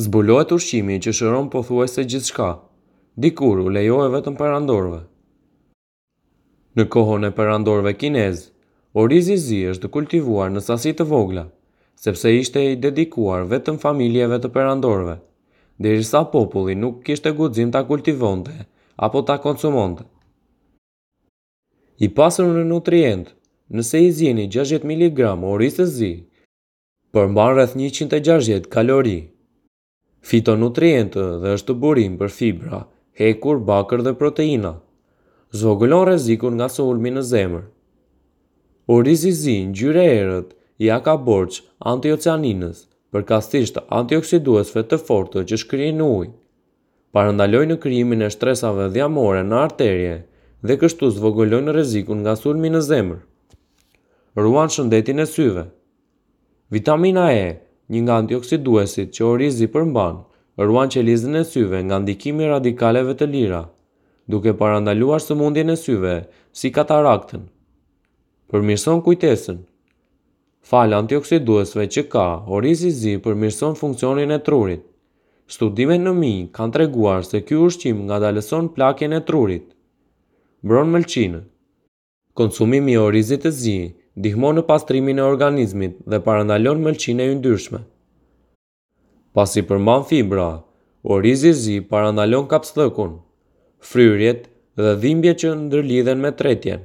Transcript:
Zbulohet ushqimi që shëron pothuajse gjithçka. Dikur u lejohej vetëm perandorëve. Në kohën e perandorëve kinezë, orizi i zi është kultivuar në sasi të vogla, sepse ishte i dedikuar vetëm familjeve të perandorëve, derisa populli nuk kishte guxim ta kultivonte apo ta konsumonte. I pasur në nutrientë, nëse i zieni 60 miligramë oriz të zi, Përmban rreth 160 kalori, fitonutrientë dhe është burim për fibra, hekur, bakër dhe proteina. Zvogëlon rrezikun nga sulmi në zemër. Orizi i zi ngjyrë e errët ia ka borxh antiocianinës, përkatësisht antioksiduesve të fortë që shkrijnë në ujë. Parandalojnë krijimin e shtresave dhjamore në arterie dhe kështu zvogëlojnë rrezikun nga sulmi në zemër. Ruan shëndetin e syve. Vitamina E, një nga antioksiduesit që orizi përmban, ruan qelizën e syve nga ndikimi i radikaleve të lira, duke parandaluar sëmundjen e syve, si kataraktën. Përmirëson kujtesën. Falë antioksiduesve që ka, orizi i zi përmirëson funksionin e trurit. Studimet në minj kanë treguar se ky ushqim ngadalëson plakjen e trurit. Mbron mëlçinë. Konsumimi i orizit të zi ndihmon në pastrimin e organizmit dhe parandalon mëlçinë e yndyrshme. Pasi përmban fibra, orizi i zi parandalon kapsllëkun, fryrjet dhe dhimbjet që ndërlidhen me tretjen.